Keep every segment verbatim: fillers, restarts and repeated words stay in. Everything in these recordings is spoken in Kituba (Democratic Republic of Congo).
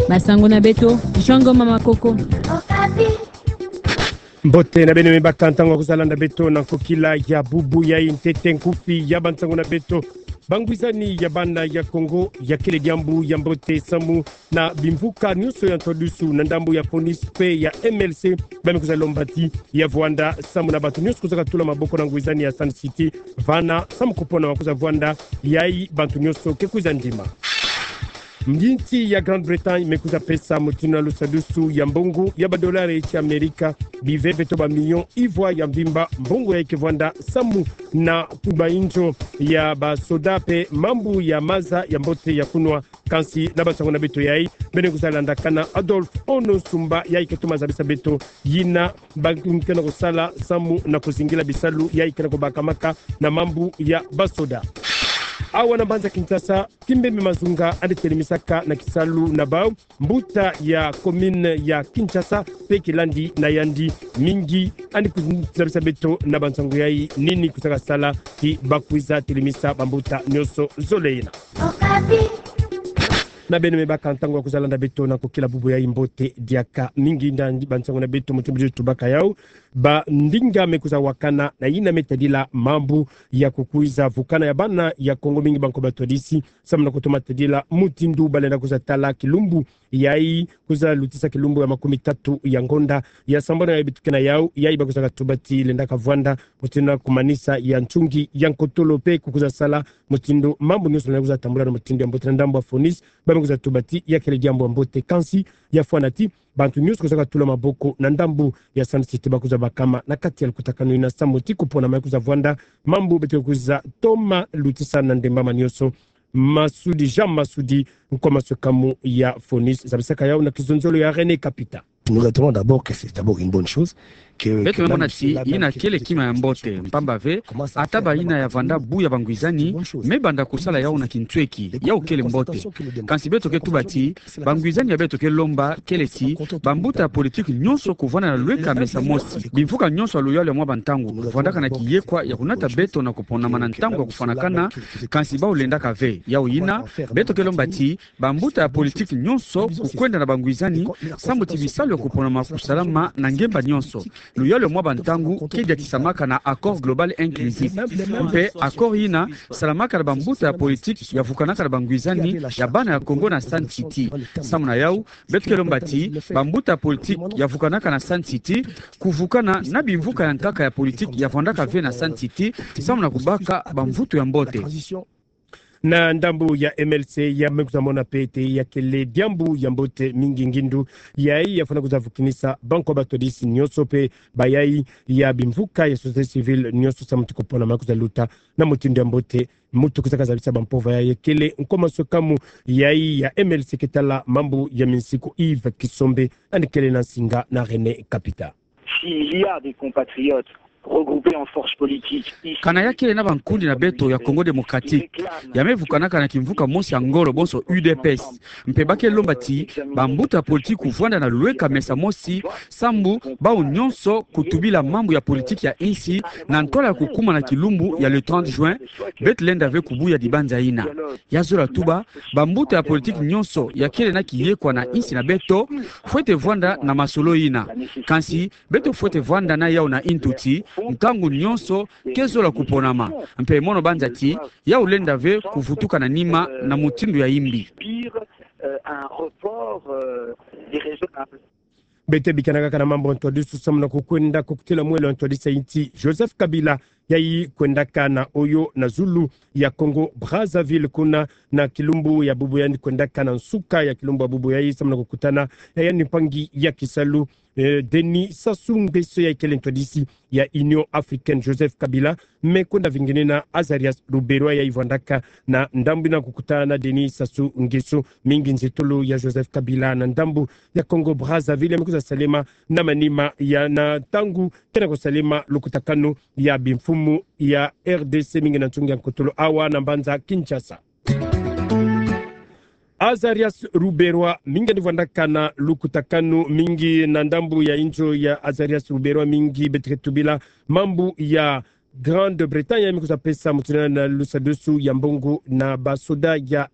Basango na beto, Jean Ngoma Makoko. Mbote na beno me baka ntangu ya kwiza landa beto na nkokila ya bubu yai. Ntete nkufi ya bansango na beto. Bangwizani ya bana ya Kongo ya kele diambu ya mbote samu na bimvuka nyonso ya ntodusu na ndambu ya FONIS pe ya M L C, ba me kwiza lomba ti ya vwanda samu na bantu nyonso kwizaka tula maboko na ngwizani ya Sun City, vana samu kupona ma kwiza vwanda yai bantu nyonso ke kwiza ndima. Nginti ya Grande-Bretagne me kwiza pesa mutindu na lusadusu ya mbongo ya badolari ya Amerika, biveve to bamilio ivwa ya mvimba, mbongo yai ke vwanda samu na kuba inzo ya basoda pe mambu ya maza ya mbote ya kunwa. Kansi na bansango na beto yai, beno kwiza landakana Adolphe Ono Sumba, yai ke toma zabisa beto yina ba kena kusala samu na kuzingila bisalu yai kena kubakamaka na mambu ya basoda. Awa na mbanza Kinshasa, Kimbembe Mazunga andi telimisaka na kisalu na bau mbuta ya commune ya Kinshasa pe kilandi na yandi mingi. Andi kuzabisa beto na bansango yai nini kwizaka sala ti ba kwiza telimisa bambuta nyonso zole yina. Na beno me baka ntangu ya kwiza landa beto na nkokila bubu yai. Mbote diaka mingi. Nda bansango na beto mutindu tubaka yau, bandinga me kwiza wakana na yina me tadila mambu ya kukwiza vukana ya bana ya Kongo mingi banko batwadisi samu na kutoma tadila mutindu ba lenda kwiza tala kilumbu yai, kwiza lutisa kilumbu ya makumi tatu ya ngonda ya sambanu ya beto ke na yau, yai ba kwizaka tuba ti lendaka vwanda mutindu na kumanisa ya ntungi ya nkotolo pe kukwiza sala mutindu mambu nyonso lenda kwiza tambula na mutindu ya mbote. Na ndambu ya FONIS, ba me kwiza tuba ti ya kele diambu ya mbote, kansi ya fwana ti bantu nyonso kwizaka tula maboko na ndambu ya Sun City ba kwiza bakama na kati ya lukutakanu yina samu ti kupona ma kwiza vwanda mambu beto kwiza toma lutisa na ndembama nyonso. Masudi, Jean Masudi, nkwa maswekamu ya FONIS, zabisaka yau na kizonzolo ya René Kapita. Nous retenons d'abord que c'est d'abord une bonne chose. Beto me mona ti yina kele kima ya mbote, mpamba ve ata ba yina ya vanda bu ya bangwizani me banda kusala yau na kintweki, yau kele mbote. Kansi beto ke tuba ti bangwizani ya beto ke lomba kele ti bambuta ya politiki nyonso kuvanda na lweka mesa mosi. Bimvuka nyonso ya luyalu ya mwa bantangu vwandaka na kiyekwa ya kunata beto na kuponama na ntangu ya kufwanakana, kansi bau lendaka ve. Yau yina, beto ke lomba ti bambuta ya politiki nyonso kukwenda na bangwizani, samu ti bisalu ya kuponama kusalama na ngemba nyonso. Luyalu ya mwa bantangu ke diatisamaka na accord global inclusif. Mpe accord yina salamaka na bambuta ya politiki ya vukanaka na bangwizani ya bana ya Kongo na Sun City. Samu na yau, beto ke lomba ti bambuta ya politiki ya vukanaka na Sun City kuvukana na bimvuka ya nkaka ya politiki ya vwandaka ve na Sun City, samu na kubaka bamvutu ya mbote. Na ndambu ya M L C, ya me kwiza mona pe ti ya kele diambu ya mbote mingi ngindu yai ya fwana kwiza vukinisa banko batwadisi nyonso pe bayai ya bimvuka ya société civile nyonso samu ti kupona ma kwiza luta na mutindu ya mbote. Muntu kwizaka zabisa bampova yai kele nkwa maswekamu yai ya M L C ke tala mambu ya minsiku, Yves Kisombe, andi kele na nsinga na René Kapita. S'il y a des compatriotes regroupés en force politique ici, kana ya kele na bankundi na beto ya Congo Démocratique ya me vukanaka na kimvuka mosi ya ngolo, bonso U D P S, mpe ba ke lomba ti bambuta ya politiki kuvwanda na lweka mesa mosi, samu bau nyonso kutubila mambu ya politiki ya insi na ntwala ya kukuma na kilumbu ya le trente juin, beto lenda ve kubuya dibanza yina. Ya zola tuba, bambuta ya politiki nyonso ya kele na kiyekwa na insi na beto fwete vwanda na masolo yina. Kansi beto fwete vwanda na yau na intuti, nkangu nyonso ke zola kuponama. Mpe mono banza ti yau lenda ve kuvutuka na nima na mutindu ya imbi. Pire, euh, un report, euh, déraisonnable. Beto bikana kaka na mambu ya ntwadisi samu na kukwenda kukutila mwelo ya ntwadisi ya insi. Joseph Kabila, yai kwendaka na oyo na zulu ya Congo Brazzaville, kuna na kilumbu ya bubu yandi kwendaka na nsuka ya kilumbu ya bubu yai samu na kukutana na yandi mpangi ya kisalu, eh, Denis Sassou Nguesso, yai kele ntwadisi ya Union Africaine. Joseph Kabila me kwenda vingenina Azarias Ruberwa, yai vwandaka na ndambu yina kukutana na Denis Sassou Nguesso. Mingi nzitulu ya Joseph Kabila na ndambu ya Congo Brazzaville ya me kwiza salema na manima ya na ntangu kena kusalema lukutakanu ya bimfumu ya R D C mingi na ntungi ya nkotolo awa na mbanza Kinshasa. Azarias Ruberwa mingi andi vwandaka na lukutakanu mingi na ndambu ya inzo ya Azarias Ruberwa mingi beto ke tubila mambu ya Grande-Bretagne ya me kwiza pesa mutindu na lusadusu ya mbongo na basoda ya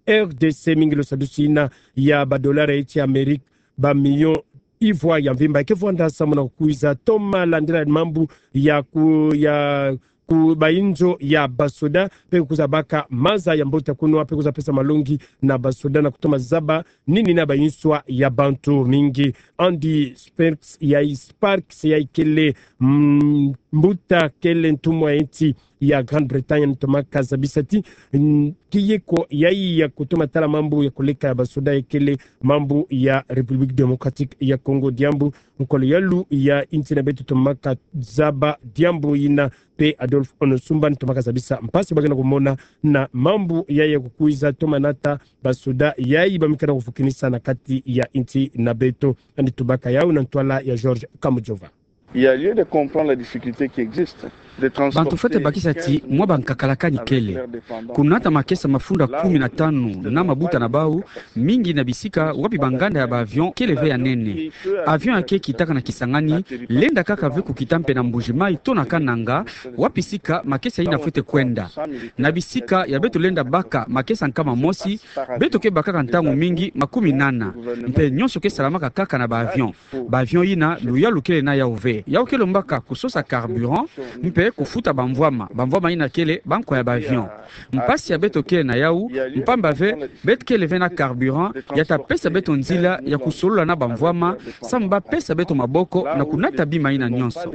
R D C mingi lo sadusi ina ya ba dollar ya nsi Amerika ba million ivwa ya mvimba. Eke vwanda samu na kukwiza toma landila mambu ya ku, ya ku ba inzo ya basoda, pe kukwiza baka maza ya mbote ya kunwa, pe kukwiza pesa malongi na basoda na kutoma zaba nini na ba inswa ya bantu mingi. Andy Sparks ya i-, Sparks ya ikele, mm, mbuta kele ntumwa ya nsi ya Grande-Bretagne, ntomaka zabisa ti, mm, kiyeko ya i ya kutoma tala mambu ya koleka ya basoda ya kele mambu ya République Démocratique ya Congo. Diambu nkolo yalu ya nsi na beto ntomaka zaba diambu ina, pe Adolphe Onosumba ntomaka zabisa mpasi ba kena kumona na mambu ya ya kukwiza toma nata basoda ya i ba mika na kufukinisa na kati ya nsi na beto. Andy tubaka yau na ntwala ya George Kamujova. Il y a lieu de comprendre la difficulté qui existe. Bantu fwete bakisa ti mwa ba nkakalakani kele. Kunata makesa mafunda kumi na tanu na mabuta na bau, mingi na bisika wapi ba nganda ya ba avion kele ve ya nene. Avion ya ke kitaka na Kisangani, lenda kaka ve kukita mpe na Mbuji-Mayi to na Kananga, wapi sika makesa ina fwete kwenda. Na bisika ya beto lenda baka makesa nkama mosi, beto ke bakaka ntangu mingi makumi nana. Mpe nyonso ke salamaka kaka na ba avion. Ba avion ina, luyalu kele na yau ve. Yau ke lombaka kusosa carburant, mpe kufuta bamvwama. Bamvwama ina kele bankwa ya ba avion. Mpasi ya beto kele na yau, mpamba ve, beto kele ve na carburant, ya ta pesa beto nzila ya kusolola na bamvwama, samu ba pesa beto maboko na kunata bima ina nyonso.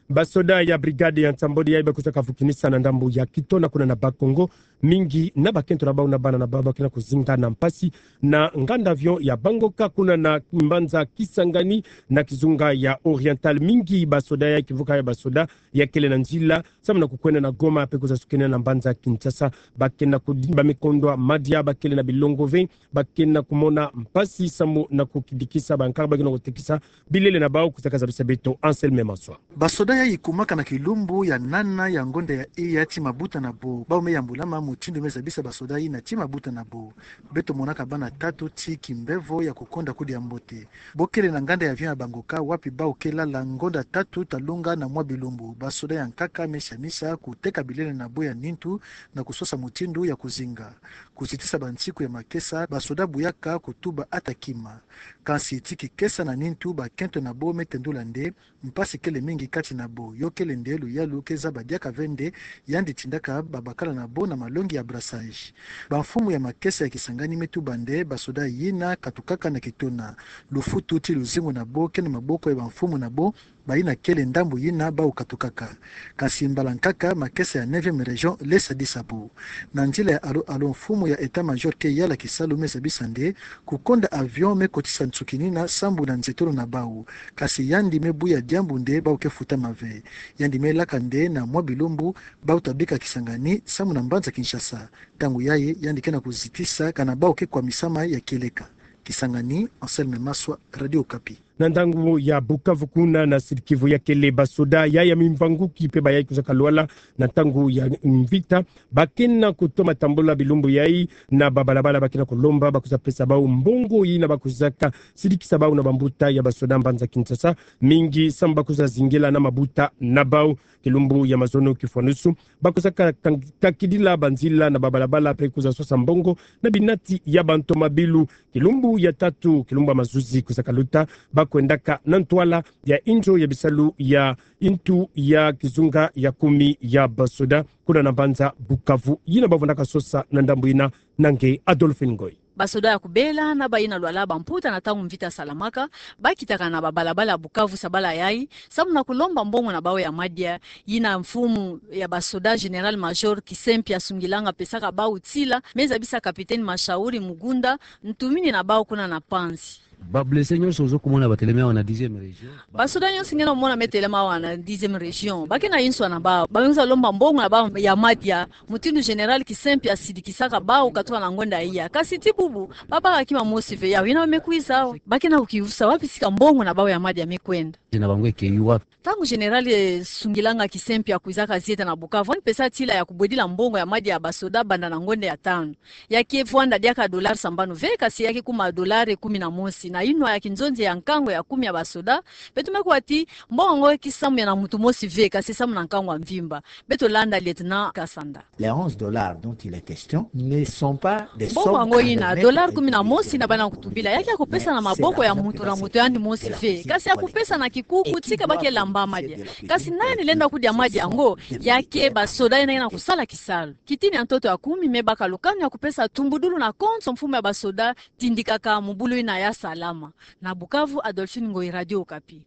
Basoda ya brigade ya nsambwadi ya i ba kwiza kafukinisa na ndambu ya Kitona kuna na Bas-Congo, mingi na bakento na bau na bana na bau ba kena kuzinga na mpasi na nganda avion ya Bangoka kuna na mbanza Kisangani na kizunga ya Oriental. Mingi basoda ya i, kivuka ya basoda ya kele na nzila samu na kukwenda na Goma, pe kwiza sukina na mbanza Kinshasa. Ba kena ku-, ba mikondwa madia, ba kele na bilongo ve, ba kena kumona mpasi samu na kukidikisa bankaka ba kena kutekisa bilele na bau. Kwiza kazabisa beto Anselme Maswa. Basoda ya i kumaka na kilumbu ya nana ya ngonda ya i ya ti mabuta na bo. Bau me yambulama mutindu me zabisa basoda ina ti mabuta na bo. Beto monaka bana tatu ti kimbevo ya kukonda kudia mbote. Bo kele na nganda ya avion ya Bangoka, wapi bau ke lala ngonda tatu talunga na mwa bilumbu. Basoda ya nkaka me sianisa kuteka bilele na bo ya nintu na kusosa mutindu ya kuzinga. Kuzitisa bansiku ya makesa, basoda buyaka kutuba ata kima. Kansi ti kikesa na nintu, bakento na bo me tendula nde, mpasi kele mingi kati na bo. Yo kele nde luyalu ke zaba diaka ve nde, yandi tindaka babakala na bo na malongi ya brassage. Bamfumu ya makesa ya Kisangani me tuba nde basoda yina katukaka na Kitona. Lufutu ti luzingu na bo ke na maboko ya bamfumu na bo, bayina kele ndambu yina bau katukaka. Kansi mbala nkaka makesa ya neuvième région le sadisa bo. Na nzila ya alo-alo, mfumu ya état-major ke yala kisalu me zabisa nde kukonda avion me kotisa nsuki nina sambu na nzetolo na bau. Kansi yandi me buya diambu nde bau ke futama ve. Yandi me laka nde na mwa bilumbu bau ta bika Kisangani samu na mbanza Kinshasa. Ntangu yayi yandi kena kuzitisa kana bau ke kwamisama ya kieleka. Kisangani, Anselme Maswa, Radio Okapi. Na ndangu ya Bukavu kuna na Sud-Kivu ya kele, basoda ya ya mimvanguki pe ba ya i kwiza kalwala na ntangu ya mvita, ba kena kutoma tambula bilumbu ya i na babalabala, ba kena kulomba ba kwiza pesa bau mbongo yina ba kwizaka sidikisa bau na bambuta ya basoda mbanza Kinshasa, mingi samu ba kwiza zingela na mabuta na bau. Kilumbu ya mazono kifwanusu, ba kwiza ka-, ka-, kakidila banzila na babalabala pe kwiza sosa mbongo na binati ya bantomabilu. Kilumbu ya tatu, kilumbu ya mazuzi kwiza kaluta, ba kwendaka na ntwala ya inzo ya bisalu ya ntu ya kizunga ya kumi ya basoda kuna na mbanza Bukavu, yina ba vundaka sosa na ndambu yina. Na nge Adolphine Ngoy. Basoda ya kubela na bayina lwala bamputa na ntangu mvita salamaka, ba kitaka na babalabala ya Bukavu sabala ya i, samu na kulomba mbongo na bau ya madia, yina mfumu ya basoda Général-Major Kisempia Sungilanga apesaka bau tila, me zabisa Capitaine Mashauri Mugunda, ntumini na bau kuna na Panzi. Ba blessés nyonso ozo kumona batelemi awa na dixième région. Basoda nyonso nge na mona me telema awa na dixième région, ba kena inswa na bau, ba me kwiza lomba mbongo na bau ya madia, mutindu Général Kisempia asidikisaka bau katuka na ngonda iya. Kansi ti bubu, ba baka kima mosi ve, ya yina ba me kwiza awa. Ba kena kukiusa wapi sika mbongo na bau ya madia me kwenda. Zina bango eke yu wapi? Ntangu Général, eh, Sungilanga Kisempia akwizaka zieta na Bukavu, ani pesa tila ya kubwedila mbongo ya madia ya basoda banda na ngonda ya tanu. Ya ke vwanda diaka dollar sambanu ve, kansi ya ke kuma dollar kumi na mosi. Na inwa ya kinzonzi ya nkango ya kumi ya basoda, beto me kuwa ti mbongo yango e kisamu ya na muntu mosi ve, kasi samu na nkango ya mvimba. Beto landa Lieutenant Kasanda. Les onze dollars dont il est question ne sont pas des sommes. Mbongo yango yina, dollar kumi na mosi na bana kutubila, ya ke ya kupesa na maboko ya muntu na muntu yandi mosi ve, kasi ya kupesa na kikuku tika ba ke lamba madia. Kasi nani lenda kudia madia yango? Ya ke basoda yina yena kusala kisalu. Kitini ya ntoto ya kumi me baka lukanu ya kupesa tumbudulu na konso mfumu ya basoda, tindikaka mubulu yina ya salama. Na Bukavu, Adolphine Ngoyi, Radio Okapi.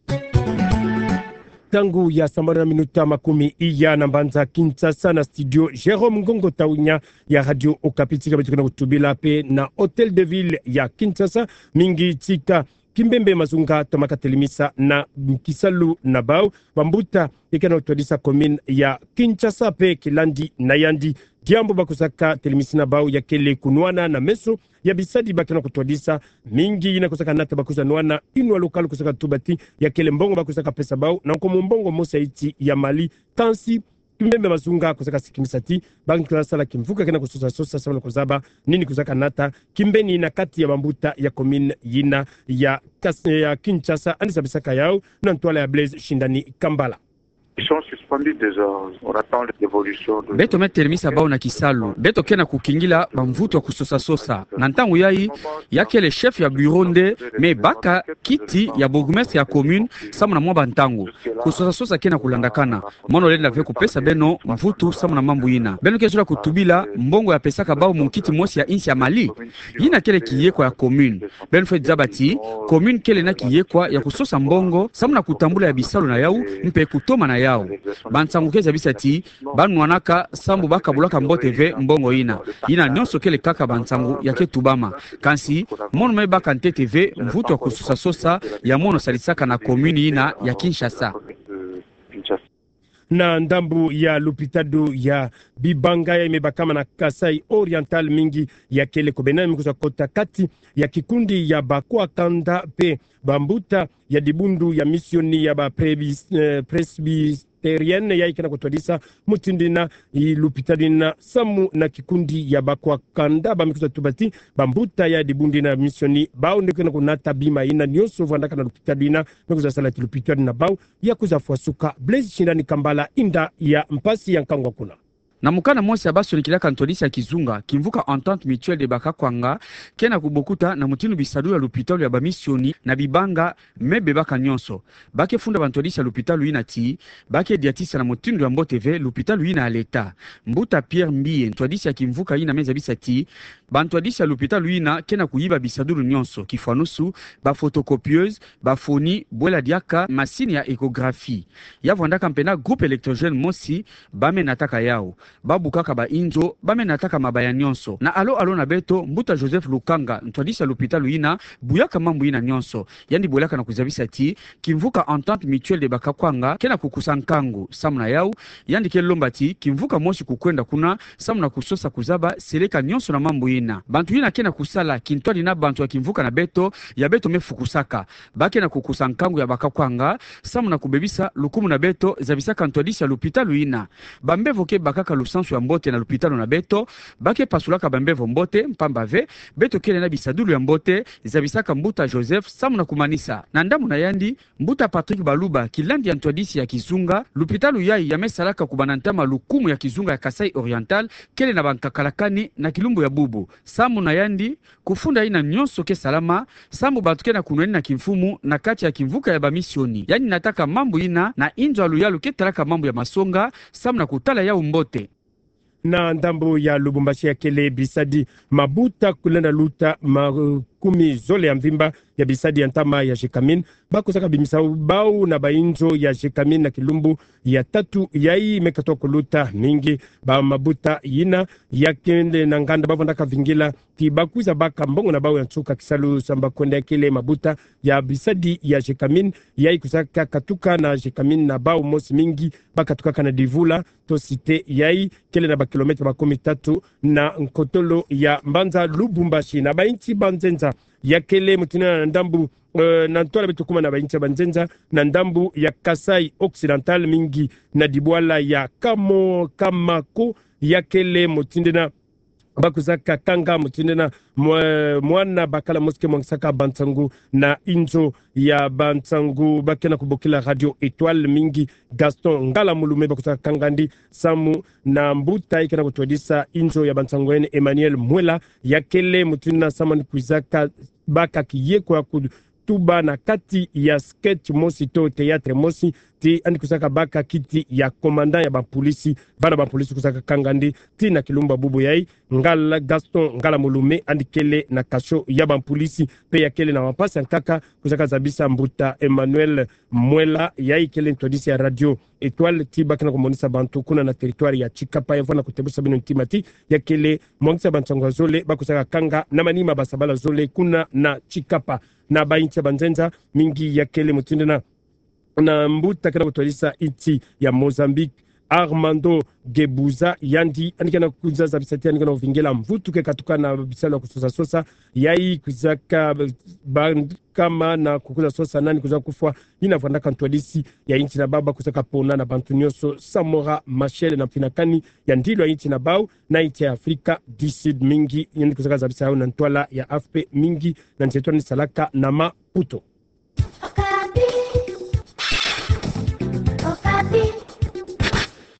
Ntangu ya sambanu na minuta makumi iya na mbanza Kinshasa, na studio Jérôme Ngongo Tawunya ya Radio Okapi. Tika beto ke na kutubila mpe na Hôtel de Ville ya Kinshasa, mingi tika Kimbembe Mazunga toma ka telemisa na kisalu na bau bambuta ya ke na kutwadisa commune ya Kinshasa mpe kilandi na yandi diambu ba kusaka telemisi na bau ya kele kunwana na meso ya bisadi ba ke na kutwadisa, mingi yina kusaka nata ba kuza nwana, inwa local kusaka tuba ti ya kele mbongo ba kusaka pesa bau na nkomo mbongo mosi ya iti ya Mali. Kansi Kimbembe Mazunga kusaka sikimisa ti ba nki kusala kimvuka ke na kusosa sosa samu na kuzaba nini kusaka nata kimbeni na kati ya bambuta ya commune yina ya Kas-, ya Kinshasa, yandi zabisaka yau na ntwala ya Blaise Shindani Kambala. Ils sont suspendus déjà. On attend l'évolution de... Beto me telemisa bau na kisalu. Beto ke na kukingila bamvutu ya kusosa sosa. Na ntangu yayi, ya kele chef ya bureau nde me baka kiti ya bourgmestre ya commune samu na mwa bantangu. Kusosa sosa ke na kulandakana. Mono lenda ve kupesa beno mvutu samu na mambu yina. Beno ke zola kutubila mbongo ya pesaka bau munkiti mosi ya insi ya Mali. Yina kele kiyekwa ya commune. Beno fwe zaba ti commune kele na kiyekwa ya kusosa mbongo samu na kutambula ya bisalu na yau mpe kutoma na yau. Bansangu ke zabisa ti ba nwanaka sambu ba kabulaka mbote ve mbongo yina. Yina nyonso kele kaka bansangu ya ke tubama. Kansi mono me baka ntete ve mvutu ya kusosa sosa ya mono sadisaka na commune yina ya Kinshasa. Na ndambu ya lupitalu ya Bibanga ya me bakama na Kasaï Oriental, mingi ya kele kobena me kuza kota kati ya kikundi ya bakwa kanda mpe bambuta ya dibundu ya misioni ya ba prebis-, eh, presbyterienne ya ke na kutwadisa mutindu yina lupitalu yina samu na kikundi ya bakwa kanda. Ba me kuza tuba ti bambuta ya dibundu yina misioni bau nde ke na kunata bima yina nyonso vwandaka na lupitalu yina me kuza sala ti lupitalu na bau ya kuza fwa suka. Blaise Shindani Kambala, inda ya mpasi ya nkangu kuna. Na mukanda mosi ya ba sonikilaka ntwadisi ya kizunga, kimvuka Entente Mutuelle de Bakakwanga ke na kubokuta na mutindu bisadulu ya lupitalu ya bamisioni na Bibanga me bebaka nyonso. Ba ke funda bantwadisi ya lupitalu yina ti ba ke diatisa na mutindu ya mbote ve lupitalu yina ya leta. Mbuta Pierre Mbiye, ntwadisi ya kimvuka yina, me zabisa ti bantwadisi ya lupitalu yina ke na kuyiba bisadulu nyonso, kifwanusu, ba photocopieuse, ba foni, bwela diaka masini ya échographie. Ya vwandaka mpe na groupe électrogène mosi ba me nataka yau. Ba bukaka ba inzo, ba me nataka mabaya nyonso. Na alo alo na beto, mbuta Joseph Lukanga, ntwadisi ya lupitalu yina, buyaka mambu yina nyonso. Yandi bwelaka na kuzabisa ti kimvuka Entente Mutuelle de Bakakwanga ke na kukusa nkangu samu na yau. Yandi ke lomba ti kimvuka mosi kukwenda kuna samu na kusosa kuzaba seleka nyonso na mambu yina. Bantu yina ke na kusala kintwadi na bantu ya kimvuka na beto, ya beto me fukusaka. Ba ke na kukusa nkangu ya Bakakwanga samu na kubebisa lukumu na beto, zabisaka ntwadisi ya lupitalu yina. Bambevo ke bakaka lusansu ya mbote na lupitalu na beto, ba ke pasulaka bambevo mbote, mpamba ve beto kele na bisadulu ya mbote, zabisaka mbuta Joseph samu na kumanisa. Na ndambu na yandi, mbuta Patrick Baluba, kilandi ya ntwadisi ya kizunga, lupitalu yayi ya me salaka kubanda ntama lukumu ya kizunga ya Kasaï Oriental, kele na bankakalakani na kilumbu ya bubu. Samu na yandi, kufunda yina nyonso ke salama samu bantu ke na kunwanina kimfumu na kati ya kimvuka ya bamisioni. Yandi nataka mambu yina na inzo ya luyalu ke talaka mambu ya masonga samu na kutala yau mbote. Na ndambu ya Lubumbashi, ya kele bisadi mabuta kulenda luta makumi zole ya mvimba ya bisadi ya ntama ya Gécamines, ba kusaka bimisa bau na bainzo ya Gécamines na kilumbu ya tatu yayi me katuka kuluta. Mingi ba mabuta yina ya kele na nganda ba vwandaka vingila ti ba kwiza baka mbongo na bau ya nsuka kisalu samu ba kwenda, ya kele mabuta ya bisadi ya Gécamines yayi kusaka katuka na Gécamines na bau mosi. Mingi ba katukaka na Divula to Cité yayi kele na ba kilomètre makumi tatu na nkotolo ya mbanza Lubumbashi. Na bainsi banzenza, ya kele mutindu yina na ndambu, eh, na ntwala beto kuma na bainsi banzenza na ndambu ya Kasaï Occidental, mingi na dibwala ya Kamo-, Kamako, ya kele mutindu yina ba kwizaka kanga mutindu na mwa-, mwana bakala mosi ke mwangisaka bansangu na inzo ya bansangu, ba ke na kubokila Radio Etoile mingi Gaston Ngala Mulume ba kwizaka kanga ndi samu na mbuta ya ke na kutwadisa inzo ya bansangu, yaani Emmanuel Mwela, ya kele mutindu na samu ni kwizaka baka kiye kwa ku- tuba na kati ya sketch mosi to théâtre mosi, ti yandi kwizaka baka kiti ya commandant ya bapolisi, bana bapolisi kwizaka kanga ndi, ti na kilumbu bubu yayi, Ngala Gaston Ngala Mulume yandi kele na cachot ya bapolisi, mpe ya kele na mpasi ya nkaka kwizaka zabisa mbuta Emmanuel Mwela, yayi kele ntwadisi ya Radio Etoile, ti ba ke na kumonisa bantu kuna na territoire ya Tshikapa, ya vwanda kutebusa bino ntima ti ya kele mwangisa bansangu ya zole ba kwizaka kanga na manima basabala zole kuna na Tshikapa. Na ba insi ya banzenza mingi ya kele mutindu na, na mbuta ke na kutwadisa insi ya Mozambique, Armando Guebuza, yandi, yandi ke na kwiza zabisa ti yandi ke na kuvingila mvutu ke katuka na bisalu ya kusosa-sosa, yayi kwizaka ba nkama na kukwiza sosa nani kwiza kufwa, yina vwandaka ntwadisi ya insi na bau ba kwizaka pona na bantu nyonso Samora Machel na mfinakani ya ndilu ya insi na bau na insi ya Afrika du Sud mingi, yandi kwizaka zabisa yawu na ntwala ya A F P mingi na nzeto ni salaka na Maputo.